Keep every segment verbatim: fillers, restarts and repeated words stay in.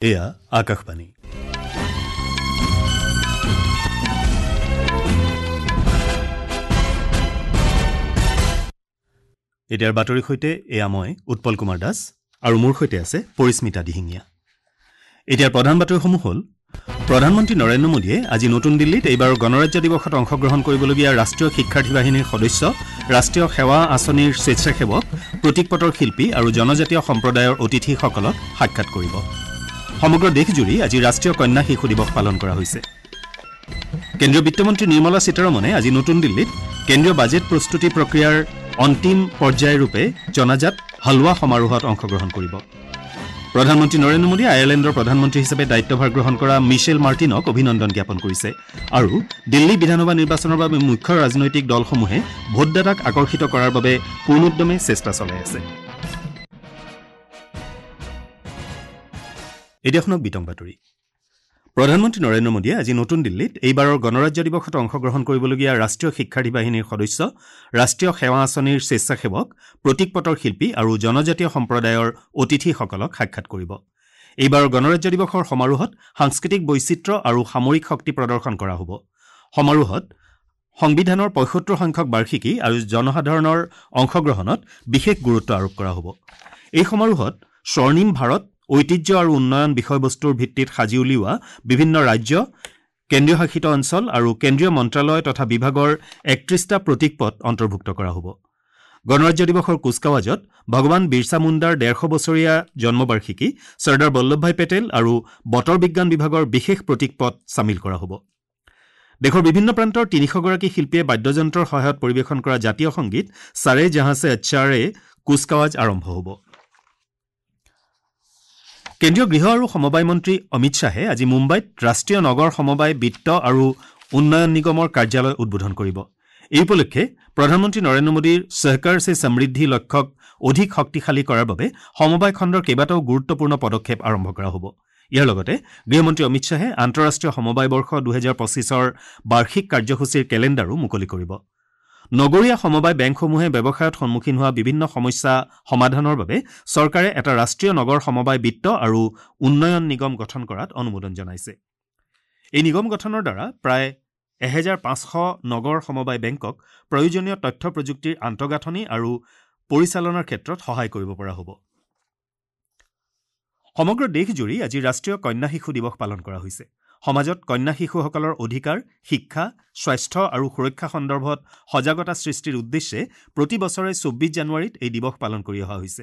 এয়া আকাশবাণী। এতিয়াৰ বাতৰিৰ সৈতে এয়া মই উৎপল কুমাৰ দাস আৰু মোৰ সৈতে আছে পৰিস্মিতা দিহিঙীয়া। এতিয়াৰ প্ৰধান বাতৰিসমূহ হ'ল: প্ৰধানমন্ত্ৰী নৰেন্দ্ৰ মোদীয়ে আজি নতুন দিল্লীত এইবাৰৰ গণৰাজ্য দিৱসত অংশগ্ৰহণ কৰিবলগীয়া ৰাষ্ট্ৰীয় শিক্ষাৰ্থী বাহিনীৰ সদস্য, ৰাষ্ট্ৰীয় সেৱা আঁচনিৰ স্বেচ্ছাসেৱক, প্ৰতীকপটৰ শিল্পী আৰু জনজাতীয় সম্প্ৰদায়ৰ অতিথিসকলক সাক্ষাৎ কৰিব। সমগ্ৰ দেশজুৰি আজি ৰাষ্ট্ৰীয় কন্যা শিশু দিৱস পালন কৰা হৈছে। কেন্দ্ৰীয় বিত্তমন্ত্ৰী নিৰ্মলা সীতাৰমণে আজি নতুন দিল্লীত কেন্দ্ৰীয় বাজেট প্ৰস্তুতি প্ৰক্ৰিয়াৰ অন্তিম পৰ্যায়ৰূপে জনাজাত হালোৱা সমাৰোহত অংশগ্ৰহণ কৰিব। প্ৰধানমন্ত্ৰী নৰেন্দ্ৰ মোদীয়ে আয়াৰলেণ্ডৰ প্ৰধানমন্ত্ৰী হিচাপে দায়িত্বভাৰ গ্ৰহণ কৰা মিছেল মাৰ্টিনক অভিনন্দন জ্ঞাপন কৰিছে আৰু দিল্লী বিধানসভা নিৰ্বাচনৰ বাবে মুখ্য ৰাজনৈতিক দলসমূহে ভোটদাতাক আকৰ্ষিত কৰাৰ বাবে পূৰ্ণোদ্যমে চেষ্টা চলাই আছে। এতিয়া শুনক বিতং বাতৰি। প্ৰধানমন্ত্ৰী নৰেন্দ্ৰ মোদীয়ে আজি নতুন দিল্লীত এইবাৰৰ গণৰাজ্য দিৱসত অংশগ্ৰহণ কৰিবলগীয়া ৰাষ্ট্ৰীয় শিক্ষাৰ্থী বাহিনীৰ সদস্য, ৰাষ্ট্ৰীয় সেৱা আঁচনিৰ স্বেচ্ছাসেৱক, প্ৰতীকপটৰ শিল্পী আৰু জনজাতীয় সম্প্ৰদায়ৰ অতিথিসকলক সাক্ষাৎ কৰিব। এইবাৰৰ গণৰাজ্য দিৱসৰ সমাৰোহত সাংস্কৃতিক বৈচিত্ৰ্য আৰু সামৰিক শক্তি প্ৰদৰ্শন কৰা হ'ব। সমাৰোহত সংবিধানৰ পঁয়সত্তৰ সংখ্যক বাৰ্ষিকী আৰু জনসাধাৰণৰ অংশগ্ৰহণত বিশেষ গুৰুত্ব আৰোপ কৰা হ'ব। এই সমাৰোহত স্বৰ্ণিম ভাৰত, ঐতিহ্য আৰু উন্নয়ন বিষয়বস্তুৰ ভিত্তিত সাজি উলিওৱা বিভিন্ন ৰাজ্য, কেন্দ্ৰীয় শাসিত অঞ্চল আৰু কেন্দ্ৰীয় মন্ত্ৰালয় তথা বিভাগৰ একত্ৰিশটা প্ৰতীকপট অন্তৰ্ভুক্ত কৰা হ'ব। গণৰাজ্য দিৱসৰ কুচকাৱাজত ভগৱান বিৰছা মুণ্ডাৰ ডেৰশ বছৰীয়া জন্মবাৰ্ষিকী, চৰ্দাৰ বল্লভভাই পেটেল আৰু বতৰ বিজ্ঞান বিভাগৰ বিশেষ প্ৰতীকপট চামিল কৰা হ'ব। দেশৰ বিভিন্ন প্ৰান্তৰ তিনিশগৰাকী শিল্পীয়ে বাদ্যযন্ত্ৰৰ সহায়ত পৰিৱেশন কৰা জাতীয় সংগীত চাৰে জাহাঁ চে আচ্ছাৰে কুচকাৱাজ আৰম্ভ হ'ব। কেন্দ্ৰীয় গৃহ আৰু সমবায় মন্ত্ৰী অমিত শ্বাহে আজি মুম্বাইত ৰাষ্ট্ৰীয় নগৰ সমবায় বিত্ত আৰু উন্নয়ন নিগমৰ কাৰ্যালয় উদ্বোধন কৰিব। এই উপলক্ষে প্ৰধানমন্ত্ৰী নৰেন্দ্ৰ মোদীৰ সহকাৰ চে সমৃদ্ধি লক্ষ্যক অধিক শক্তিশালী কৰাৰ বাবে সমবায় খণ্ডৰ কেইবাটাও গুৰুত্বপূৰ্ণ পদক্ষেপ আৰম্ভ কৰা হ'ব। ইয়াৰ লগতে গৃহমন্ত্ৰী অমিত শ্বাহে আন্তঃৰাষ্ট্ৰীয় সমবায় বৰ্ষ দুহেজাৰ পঁচিছৰ বাৰ্ষিক কাৰ্যসূচীৰ কেলেণ্ডাৰো মুকলি কৰিব। নগৰীয়া সমবায় বেংকসমূহে ব্যৱসায়ত সন্মুখীন হোৱা বিভিন্ন সমস্যা সমাধানৰ বাবে চৰকাৰে এটা ৰাষ্ট্ৰীয় নগৰ সমবায় বিত্ত আৰু উন্নয়ন নিগম গঠন কৰাত অনুমোদন জনাইছে। এই নিগম গঠনৰ দ্বাৰা প্ৰায় এহেজাৰ পাঁচশ নগৰ সমবায় বেংকক প্ৰয়োজনীয় তথ্য প্ৰযুক্তিৰ আন্তঃগাঁথনি আৰু পৰিচালনাৰ ক্ষেত্ৰত সহায় কৰিব পৰা হ'ব। সমগ্ৰ দেশজুৰি আজি ৰাষ্ট্ৰীয় কন্যা শিশু দিৱস পালন কৰা হৈছে। সমাজত কন্যা শিশুসকলৰ অধিকাৰ, শিক্ষা, স্বাস্থ্য আৰু সুৰক্ষা সন্দৰ্ভত সজাগতা সৃষ্টিৰ উদ্দেশ্যে প্ৰতি বছৰে চৌব্বিছ জানুৱাৰীত এই দিৱস পালন কৰি অহা হৈছে।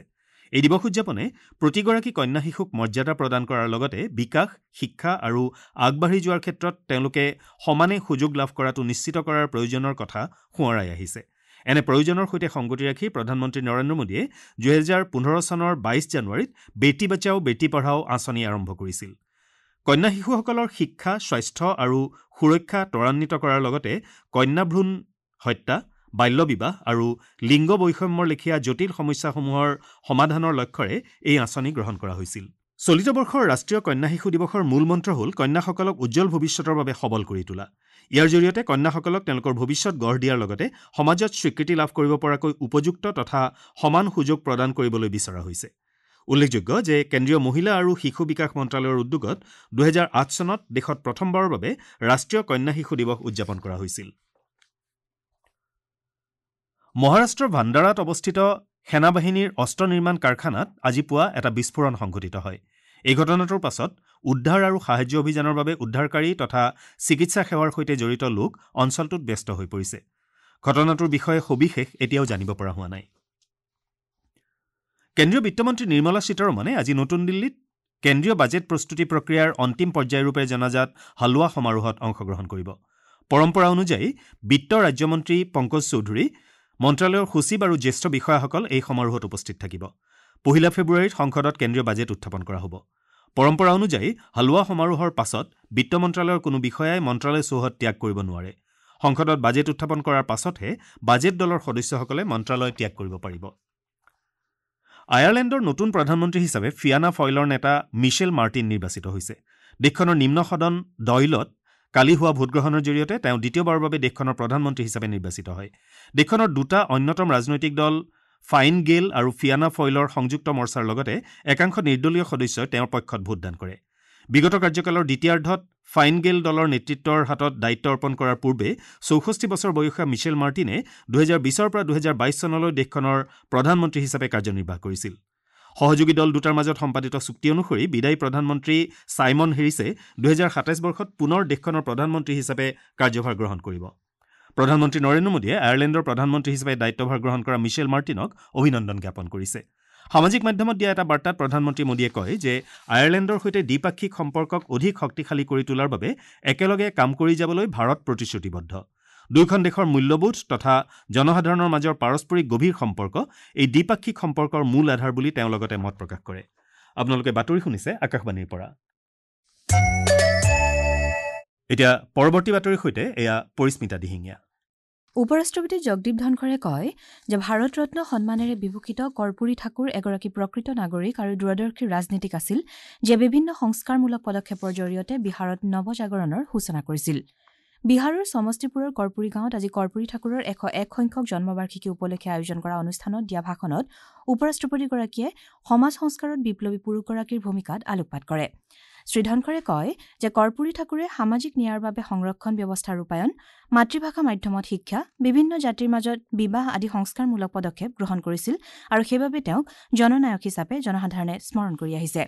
এই দিৱস উদযাপনে প্ৰতিগৰাকী কন্যা শিশুক মৰ্যাদা প্ৰদান কৰাৰ লগতে বিকাশ, শিক্ষা আৰু আগবাঢ়ি যোৱাৰ ক্ষেত্ৰত তেওঁলোকে সমানে সুযোগ লাভ কৰাটো নিশ্চিত কৰাৰ প্ৰয়োজনৰ কথা সোঁৱৰাই আহিছে। এনে প্ৰয়োজনৰ সৈতে সংগতি ৰাখি প্ৰধানমন্ত্ৰী নৰেন্দ্ৰ মোদীয়ে দুহেজাৰ পোন্ধৰ চনৰ বাইছ জানুৱাৰীত বেটী বচাও বেটী পঢ়াও আঁচনি আৰম্ভ কৰিছিল। কন্যা শিশুসকলৰ শিক্ষা, স্বাস্থ্য আৰু সুৰক্ষা ত্বৰান্বিত কৰাৰ লগতে কন্যা ভ্ৰূণ হত্যা, বাল্যবিবাহ আৰু লিংগ বৈষম্যৰ লেখীয়া জটিল সমস্যাসমূহৰ সমাধানৰ লক্ষ্যৰে এই আঁচনি গ্ৰহণ কৰা হৈছিল। চলিত বৰ্ষৰ ৰাষ্ট্ৰীয় কন্যা শিশু দিৱসৰ মূল মন্ত্ৰ হ'ল কন্যাসকলক উজ্জ্বল ভৱিষ্যতৰ বাবে সবল কৰি তোলা। ইয়াৰ জৰিয়তে কন্যাসকলক তেওঁলোকৰ ভৱিষ্যত গঢ় দিয়াৰ লগতে সমাজত স্বীকৃতি লাভ কৰিব পৰাকৈ উপযুক্ত তথা সমান সুযোগ প্ৰদান কৰিবলৈ বিচৰা হৈছে। উল্লেখযোগ্য যে কেন্দ্ৰীয় মহিলা আৰু শিশু বিকাশ মন্ত্ৰালয়ৰ উদ্যোগত দুহেজাৰ আঠ চনত দেশত প্ৰথমবাৰৰ বাবে ৰাষ্ট্ৰীয় কন্যা শিশু দিৱস উদযাপন কৰা হৈছিল। মহাৰাষ্ট্ৰৰ ভাণ্ডাৰাত অৱস্থিত সেনাবাহিনীৰ অস্ত্ৰ নিৰ্মাণ কাৰখানাত আজি পুৱা এটা বিস্ফোৰণ সংঘটিত হয়। এই ঘটনাটোৰ পাছত উদ্ধাৰ আৰু সাহায্য অভিযানৰ বাবে উদ্ধাৰকাৰী তথা চিকিৎসা সেৱাৰ সৈতে জড়িত লোক অঞ্চলটোত ব্যস্ত হৈ পৰিছে। ঘটনাটোৰ বিষয়ে সবিশেষ এতিয়াও জানিব পৰা হোৱা নাই। কেন্দ্ৰীয় বিত্তমন্ত্ৰী নিৰ্মলা সীতাৰমণে আজি নতুন দিল্লীত কেন্দ্ৰীয় বাজেট প্ৰস্তুতি প্ৰক্ৰিয়াৰ অন্তিম পৰ্যায়ৰূপে জনাজাত হালোৱা সমাৰোহত অংশগ্ৰহণ কৰিব। পৰম্পৰা অনুযায়ী বিত্ত ৰাজ্যমন্ত্ৰী পংকজ চৌধুৰী, মন্ত্ৰালয়ৰ সচিব আৰু জ্যেষ্ঠ বিষয়াসকল এই সমাৰোহত উপস্থিত থাকিব। পহিলা ফেব্ৰুৱাৰীত সংসদত কেন্দ্ৰীয় বাজেট উত্থাপন কৰা হ'ব। পৰম্পৰা অনুযায়ী হালোৱা সমাৰোহৰ পাছত বিত্ত মন্ত্ৰালয়ৰ কোনো বিষয়াই মন্ত্ৰালয় চৌহদ ত্যাগ কৰিব নোৱাৰে। সংসদত বাজেট উত্থাপন কৰাৰ পাছতহে বাজেট দলৰ সদস্যসকলে মন্ত্ৰালয় ত্যাগ কৰিব পাৰিব। আয়াৰলেণ্ডৰ নতুন প্ৰধানমন্ত্ৰী হিচাপে ফিয়ানা ফয়লৰ নেতা মিছেল মাৰ্টিন নিৰ্বাচিত হৈছে। দেশখনৰ নিম্ন সদন ডয়লত কালি হোৱা ভোটগ্ৰহণৰ জৰিয়তে তেওঁ দ্বিতীয়বাৰৰ বাবে দেশখনৰ প্ৰধানমন্ত্ৰী হিচাপে নিৰ্বাচিত হয়। দেশখনৰ দুটা অন্যতম ৰাজনৈতিক দল ফাইন গেল আৰু ফিয়ানা ফয়লৰ সংযুক্ত মৰ্চাৰ লগতে একাংশ নিৰ্দলীয় সদস্যই তেওঁৰ পক্ষত ভোটদান কৰে। বিগত কাৰ্যকালৰ দ্বিতীয়াৰ্ধত ফাইন গেল দলৰ নেতৃত্বৰ হাতত দায়িত্ব অৰ্পণ কৰাৰ পূৰ্বে চৌষষ্ঠি বছৰ বয়সীয়া মিছেল মাৰ্টিনে দুহেজাৰ বিছৰ পৰা দুহেজাৰ বাইছ চনলৈ দেশখনৰ প্ৰধানমন্ত্ৰী হিচাপে কাৰ্যনিৰ্বাহ কৰিছিল। সহযোগী দল দুটাৰ মাজত সম্পাদিত চুক্তি অনুসৰি বিদায়ী প্ৰধানমন্ত্ৰী ছাইমন হেৰিছে দুহেজাৰ সাতাইছ বৰ্ষত পুনৰ দেশখনৰ প্ৰধানমন্ত্ৰী হিচাপে কাৰ্যভাৰ গ্ৰহণ কৰিব। প্ৰধানমন্ত্ৰী নৰেন্দ্ৰ মোদীয়ে আয়াৰলেণ্ডৰ প্ৰধানমন্ত্ৰী হিচাপে দায়িত্বভাৰ গ্ৰহণ কৰা মিছেল মাৰ্টিনক অভিনন্দন জ্ঞাপন কৰিছে। সামাজিক মাধ্যমত দিয়া এটা বাৰ্তাত প্ৰধানমন্ত্ৰী মোদীয়ে কয় যে আয়াৰলেণ্ডৰ সৈতে দ্বিপাক্ষিক সম্পৰ্কক অধিক শক্তিশালী কৰি তোলাৰ বাবে একেলগে কাম কৰি যাবলৈ ভাৰত প্ৰতিশ্ৰুতিবদ্ধ। দুয়োখন দেশৰ মূল্যবোধ তথা জনসাধাৰণৰ মাজৰ পাৰস্পৰিক গভীৰ সম্পৰ্ক এই দ্বিপাক্ষিক সম্পৰ্কৰ মূল আধাৰ বুলি তেওঁ লগতে মত প্ৰকাশ কৰে। আপোনালোকে বাতৰি শুনিছে আকাশবাণীৰ পৰা। এতিয়া পৰৱৰ্তী বাতৰিৰ সৈতে এয়া পৰিস্মিতা দিহিঙীয়া। উপ-ৰাষ্ট্ৰপতি জগদীপ ধনখৰে কয় যে ভাৰত ৰত্ন সন্মানেৰে বিভূষিত কৰ্পূৰী ঠাকুৰ এগৰাকী প্ৰকৃত নাগৰিক আৰু দূৰদৰ্শী ৰাজনীতিক আছিল, যিয়ে বিভিন্ন সংস্কাৰমূলক পদক্ষেপৰ জৰিয়তে বিহাৰত নৱজাগৰণৰ সূচনা কৰিছিল। বিহাৰৰ সমষ্টিপুৰৰ কৰ্পূৰী গাঁৱত আজি কৰ্পূৰী ঠাকুৰৰ এশ এক সংখ্যক জন্মবাৰ্ষিকী উপলক্ষে আয়োজন কৰা অনুষ্ঠানত দিয়া ভাষণত উপ-ৰাষ্ট্ৰপতিগৰাকীয়ে সমাজ সংস্কাৰত বিপ্লৱী পুৰুষগৰাকীৰ ভূমিকাত আলোকপাত কৰে। শ্ৰী ধনখৰে কয় যে কৰ্পূৰী ঠাকুৰে সামাজিক ন্যায়ৰ বাবে সংৰক্ষণ ব্যৱস্থা ৰূপায়ণ, মাতৃভাষা মাধ্যমত শিক্ষা, বিভিন্ন জাতিৰ মাজত বিবাহ আদি সংস্কাৰমূলক পদক্ষেপ গ্ৰহণ কৰিছিল আৰু সেইবাবে তেওঁক জননায়ক হিচাপে জনসাধাৰণে স্মৰণ কৰি আহিছে।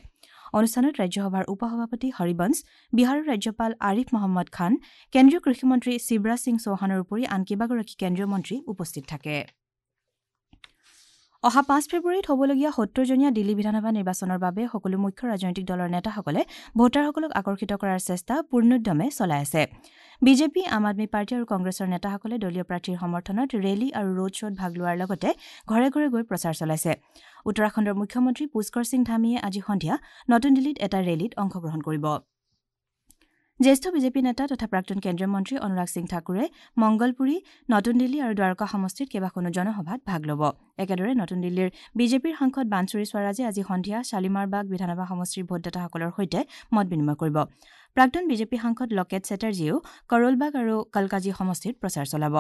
অনুষ্ঠানত ৰাজ্যসভাৰ উপ-সভাপতি হৰিবংশ, বিহাৰৰ ৰাজ্যপাল আৰিফ মহম্মদ খান, কেন্দ্ৰীয় কৃষিমন্ত্ৰী শিৱৰাজ সিং চৌহানৰ উপৰি আন কেইবাগৰাকী কেন্দ্ৰীয় মন্ত্ৰী উপস্থিত থাকে। অহা পাঁচ ফেব্ৰুৱাৰীত হ'বলগীয়া সত্তৰজনীয়া দিল্লী বিধানসভা নিৰ্বাচনৰ বাবে সকলো মুখ্য ৰাজনৈতিক দলৰ নেতাসকলে ভোটাৰসকলক আকৰ্ষিত কৰাৰ চেষ্টা পূৰ্ণোদ্যমে চলাই আছে। বিজেপি, আম আদমী পাৰ্টী আৰু কংগ্ৰেছৰ নেতাসকলে দলীয় প্ৰাৰ্থীৰ সমৰ্থনত ৰেলী আৰু ৰোড শ্ব'ত ভাগ লোৱাৰ লগতে ঘৰে ঘৰে গৈ প্ৰচাৰ চলাইছে। উত্তৰাখণ্ডৰ মুখ্যমন্ত্ৰী পুষ্কৰ সিং ধামীয়ে আজি সন্ধিয়া নতুন দিল্লীত এটা ৰেলীত অংশগ্ৰহণ কৰিব। জ্যেষ্ঠ বিজেপি নেতা তথা প্ৰাক্তন কেন্দ্ৰীয় মন্ত্ৰী অনুৰাগ সিং ঠাকুৰে মংগলপুৰী, নতুন দিল্লী আৰু দ্বাৰকা সমষ্টিত কেইবাখনো জনসভাত ভাগ ল'ব। একেদৰে নতুন দিল্লীৰ বিজেপিৰ সাংসদ বানচুৰী স্বৰাজে আজি সন্ধিয়া শালিমাৰবাগ বিধানসভা সমষ্টিৰ ভোটদাতাসকলৰ সৈতে মত বিনিময় কৰিব। প্ৰাক্তন বিজেপি সাংসদ লকেট চেটাৰ্জীয়েও কৰলবাগ আৰু কলকাজী সমষ্টিত প্ৰচাৰ চলাব।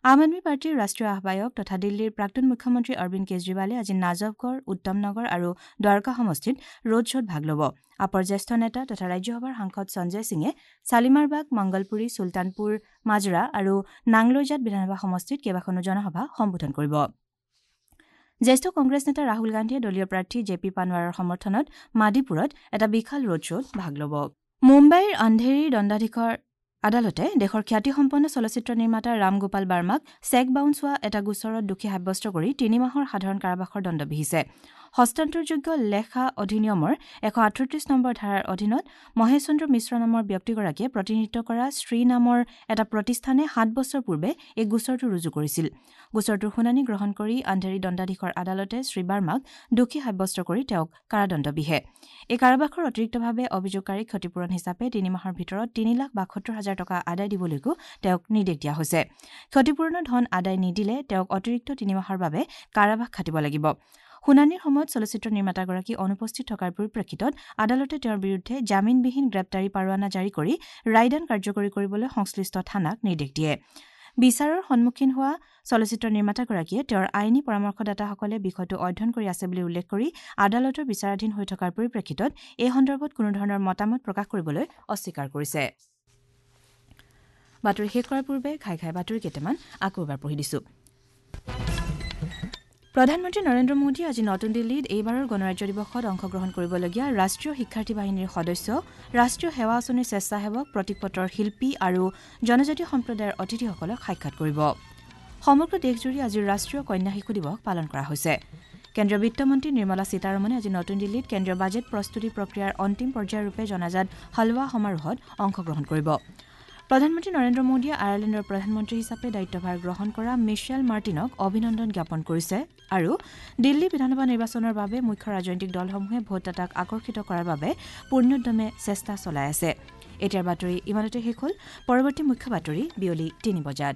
আম আদমী পাৰ্টীৰ ৰাষ্ট্ৰীয় আহ্বায়ক তথা দিল্লীৰ প্ৰাক্তন মুখ্যমন্ত্ৰী অৰবিন্দ কেজৰিৱালে আজি নাজফগড়, উত্তম নগৰ আৰু দ্বাৰকা সমষ্টিত ৰোড শ্ব'ত ভাগ ল'ব। আপৰ জ্যেষ্ঠ নেতা তথা ৰাজ্যসভাৰ সাংসদ সঞ্জয় সিঙে শালিমাৰবাগ, মংগলপুৰী, চুলতানপুৰ, মাজৰা আৰু নাংলৈজাট বিধানসভা সমষ্টিত কেইবাখনো জনসভা সম্বোধন কৰিব। জ্যেষ্ঠ কংগ্ৰেছ নেতা ৰাহুল গান্ধীয়ে দলীয় প্ৰাৰ্থী জে পি পানৱাৰৰ সমৰ্থনত মাদিপুৰত এটা বিশাল ৰোড শ্ব'ত ভাগ ল'ব। মুম্বাইৰ আন্ধেৰীৰ দণ্ডাধীশৰ আদালতে দেশৰ খ্যাতিসম্পন্ন চলচ্চিত্ৰ নিৰ্মাতা ৰামগোপাল বাৰ্মাক চেক বাউন্স হোৱা এটা গোচৰত দোষী সাব্যস্ত কৰি তিনি মাহৰ সাধাৰণ কাৰাবাসৰ দণ্ড বিহিছে। হস্তান্তৰযোগ্য লেখা অধিনিয়মৰ এশ আঠত্ৰিছ নম্বৰ ধাৰাৰ অধীনত মহেশ চন্দ্ৰ মিশ্ৰ নামৰ ব্যক্তিগৰাকীয়ে প্ৰতিনিধিত্ব কৰা শ্ৰী নামৰ এটা প্ৰতিষ্ঠানে সাত বছৰ পূৰ্বে এই গোচৰটো ৰুজু কৰিছিল। গোচৰটোৰ শুনানি গ্ৰহণ কৰি আন্ধেৰী দণ্ডাধীশৰ আদালতে শ্ৰী বাৰ্মাক দোষী সাব্যস্ত কৰি তেওঁক কাৰাদণ্ড বিহে। এই কাৰাবাসৰ অতিৰিক্তভাৱে অভিযোগকাৰীক ক্ষতিপূৰণ হিচাপে তিনি মাহৰ ভিতৰত তিনি লাখ বাসত্তৰ হাজাৰ টকা আদায় দিবলৈকো তেওঁক নিৰ্দেশ দিয়া হৈছে। ক্ষতিপূৰণৰ ধন আদায় নিদিলে তেওঁক অতিৰিক্ত তিনি মাহৰ বাবে কাৰাবাস খাটিব লাগিব। শুনানিৰ সময়ত চলচ্চিত্ৰ নিৰ্মাতাগৰাকী অনুপস্থিত থকাৰ পৰিপ্ৰেক্ষিতত আদালতে তেওঁৰ বিৰুদ্ধে জামিনবিহীন গ্ৰেপ্তাৰী পাৰোৱানা জাৰি কৰি ৰায়দান কাৰ্যকৰী কৰিবলৈ সংশ্লিষ্ট থানাক নিৰ্দেশ দিয়ে। বিচাৰৰ সন্মুখীন হোৱা চলচ্চিত্ৰ নিৰ্মাতাগৰাকীয়ে তেওঁৰ আইনী পৰামৰ্শদাতাসকলে বিষয়টো অধ্যয়ন কৰি আছে বুলি উল্লেখ কৰি আদালতৰ বিচাৰাধীন হৈ থকাৰ পৰিপ্ৰেক্ষিতত এই সন্দৰ্ভত কোনো ধৰণৰ মতামত প্ৰকাশ কৰিবলৈ অস্বীকাৰ কৰিছে। বাতৰি শেষ কৰাৰ পূৰ্বে ঘাই ঘাই বাতৰি কেইটামান আকৌ এবাৰ পঢ়ি দিছো। প্ৰধানমন্ত্ৰী নৰেন্দ্ৰ মোদীয়ে আজি নতুন দিল্লীত এইবাৰৰ গণৰাজ্য দিৱসত অংশগ্ৰহণ কৰিবলগীয়া ৰাষ্ট্ৰীয় শিক্ষাৰ্থী বাহিনীৰ সদস্য, ৰাষ্ট্ৰীয় সেৱা আঁচনিৰ স্বেচ্ছাসেৱক, প্ৰতীকপটৰ শিল্পী আৰু জনজাতীয় সম্প্ৰদায়ৰ অতিথিসকলক সাক্ষাৎ কৰিব। সমগ্ৰ দেশজুৰি আজি ৰাষ্ট্ৰীয় কন্যা শিশু দিৱস পালন কৰা হৈছে। কেন্দ্ৰীয় বিত্তমন্ত্ৰী নিৰ্মলা সীতাৰমণে আজি নতুন দিল্লীত কেন্দ্ৰীয় বাজেট প্ৰস্তুতি প্ৰক্ৰিয়াৰ অন্তিম পৰ্যায়ৰূপে জনাজাত হালৱা সমাৰোহত অংশগ্ৰহণ কৰিব। প্ৰধানমন্ত্ৰী নৰেন্দ্ৰ মোদীয়ে আয়াৰলেণ্ডৰ প্ৰধানমন্ত্ৰী হিচাপে দায়িত্বভাৰ গ্ৰহণ কৰা মিছেল মাৰ্টিনক অভিনন্দন জ্ঞাপন কৰিছে আৰু দিল্লী বিধানসভা নিৰ্বাচনৰ বাবে মুখ্য ৰাজনৈতিক দলসমূহে ভোটদাতাক আকৰ্ষিত কৰাৰ বাবে পূৰ্ণোদ্যমে চেষ্টা চলাই আছে। এতিয়াৰ বাতৰি ইমানতে শেষ হ'ল। পৰৱৰ্তী মুখ্য বাতৰি বিয়লি তিনি বজাত।